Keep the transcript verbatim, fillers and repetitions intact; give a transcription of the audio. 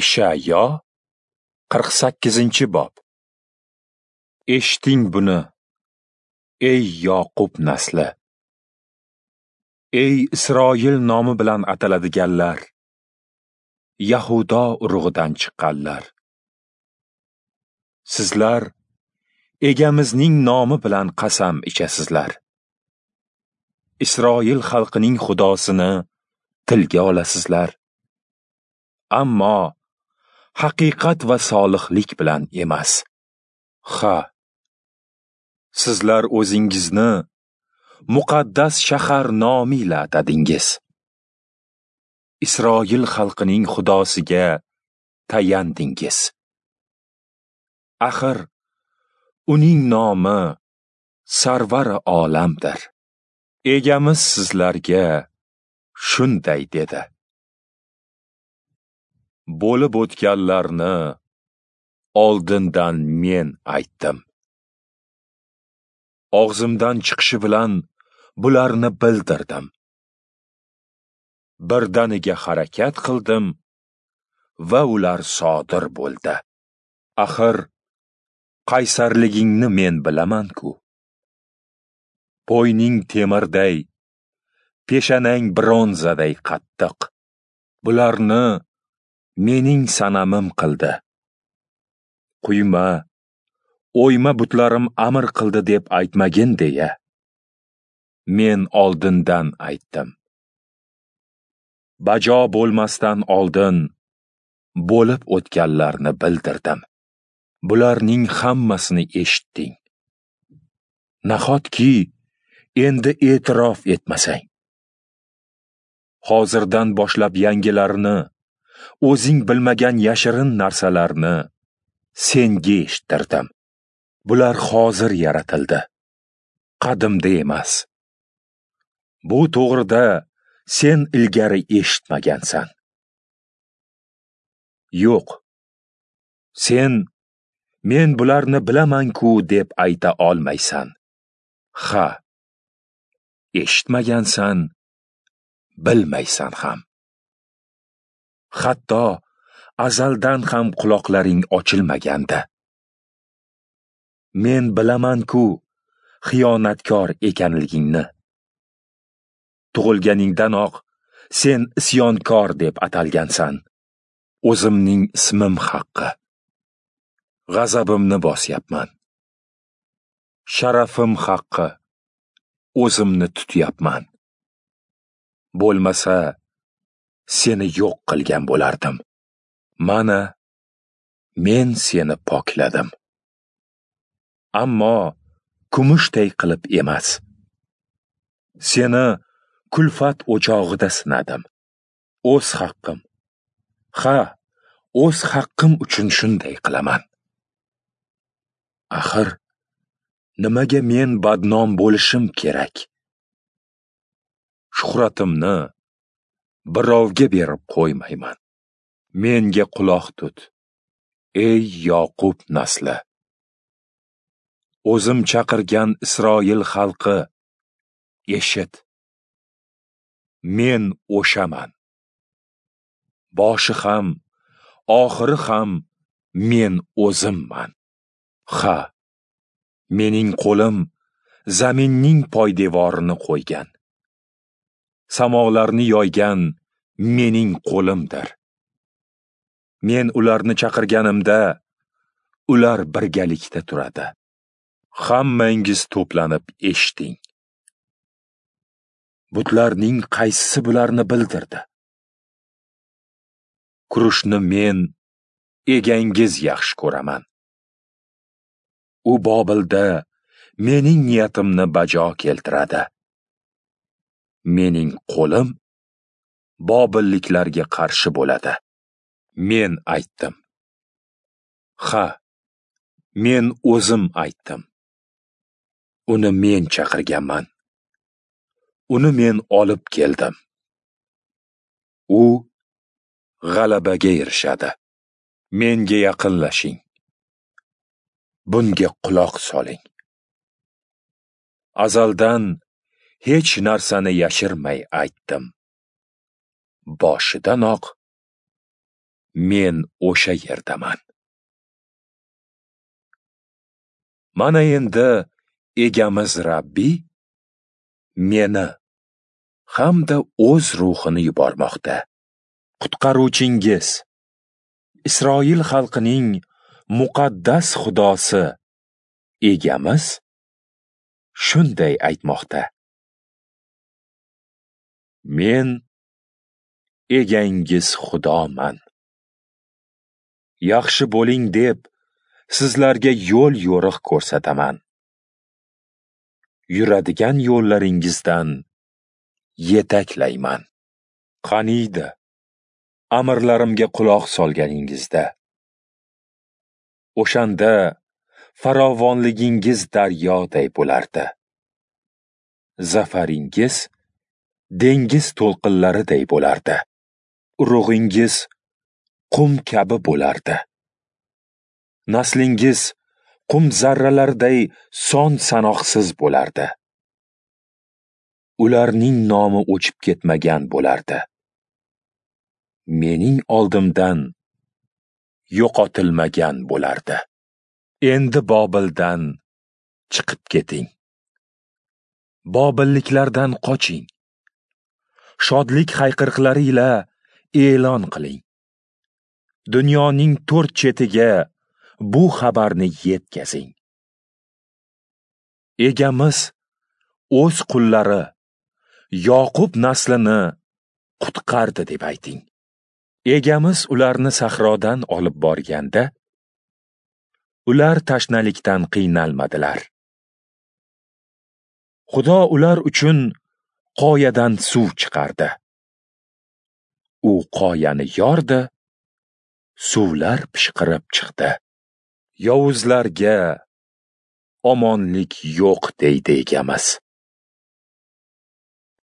Ishayo qirq sakkizinchi bob. Eshiting buni, ey Yoqub nasli! Ey Isroil nomi bilan ataladiganlar, Yahudo urug'idan chiqqanlar! Sizlar Egamizning nomi bilan qasam ichasizlar. Isroil xalqining Xudosini tilga olasizlar. Ammo haqiqat va solihlik bilan emas. Ha, sizlar o'zingizni muqaddas shahar nomi ila atadingiz. Isroil xalqining Xudosiga tayandingiz. Axir uning nomi Sarvari olamdir. Egamiz sizlarga shunday dedi: Bo'lib o'tganlarni oldindan men aytdim. Og'zimdan chiqishi bilan bularni bildirdim. Birdaniga harakat qildim va ular sodir bo'ldi. Axir qaysarligingni men bilaman-ku. Bo'yning temirday, peshanang bronzaday qattiq. Bularni mening sanamim qildi. Quyma, o'yma butlarim amr qildi deb aytmagin deya men oldindan aytdim. Bajo bo'lmasdan oldin bo'lib o'tganlarni bildirdim. Bularning hammasini eshitding. Nahotki endi e'tirof etmasang? Hozirdan boshlab yangilarni, o'zing bilmagan yashirin narsalarni senga eshittirdim. Bular hozir yaratildi, qadimda emas. Bu to'g'rida sen ilgari eshitmagansan. Yo'q, sen men bularni bilaman-ku deb ayta olmaysan. Ha, eshitmagansan, bilmaysan ham. Hatto azaldan ham quloqlaring ochilmaganda. Men bilaman-ku xiyonatkor ekanligingni. Tug'ilganingdanoq sen isyonkor deb atalgansan. O'zimning ismim haqqi. G'azabimni bosyapman. Sharafim haqqi. O'zimni tutyapman. Bo'lmasa seni yo'q qilgan bo'lardim. Mana men seni pokladim. Ammo kumushday qilib emas. Seni kulfat o'chog'ida sinadim. O'z haqqim. Ha, o'z haqqim uchun shunday qilaman. Axir nimaga men badnom bo'lishim kerak? Shuhratimni birovga berib qo'ymayman. Menga quloq tut, ey Yoqub nasli. O'zim chaqirgan Isroil xalqi, eshit. Men o'shaman. Boshi ham, oxiri ham men o'zimman. Ha, mening qo'lim zaminning poydevorini qo'ygan. Samolarni yoygan mening qo'limdir. Men ularni chaqirganimda ular birgalikda turadi. Hammangiz to'planib eshiting. Butlarning qaysisi bularni bildirdi? Kurushni men, egangiz yaxshi ko'raman. U Bobilda mening niyatimni bajo keltiradi. Mening qo'lim bobilliklarga qarshi bo'ladi. Men aytdim. Ha, men o'zim aytdim. Uni men chaqirganman. Uni men olib keldim. U g'alabaga erishadi. Menga yaqinlashing. Bunga quloq soling. Azaldan hech narsani yashirmay aytdim. Boshidanoq Men o'sha yerdaman. Mana endi Egamiz Rabbiy meni hamda o'z ruhini yubormoqda. Qutqaruvchingiz, Isroil xalqining muqaddas Xudosi Egamiz shunday aytmoqda: Men egangiz Xudoman. Yaxshi bo'ling deb sizlarga yo'l yo'riq ko'rsataman. Yuradigan yo'llaringizdan yetaklayman. Qaniydi amrlarimga quloq solganingizda. O'shanda farovonligingiz daryoday bo'lardi. Zafaringiz dengiz to'lqinlariday bo'lardi. Urug'ingiz qum kabi bo'lardi. Naslingiz qum zarralariday son sanoqsiz bo'lardi. Ularning nomi o'chib ketmagan bo'lardi. Mening oldimdan yo'qotilmagan bo'lardi. Endi Bobildan chiqib keting. Bobilliklardan qoching. Shodlik hayqiriqlari ila e'lon qiling. Dunyoning to'rt chetiga bu xabarni yetkazing. Egamiz o'z qullari Yoqub naslini qutqardi deb ayting. Egamiz ularni sahrodan olib borganda, ular tashnalikdan qiynalmadilar. Xudo ular uchun qoyadan suv chiqardi. U qoyani yordi, suvlar pishqirib chiqdi. Yovuzlarga omonlik yo'q deydi Egamiz.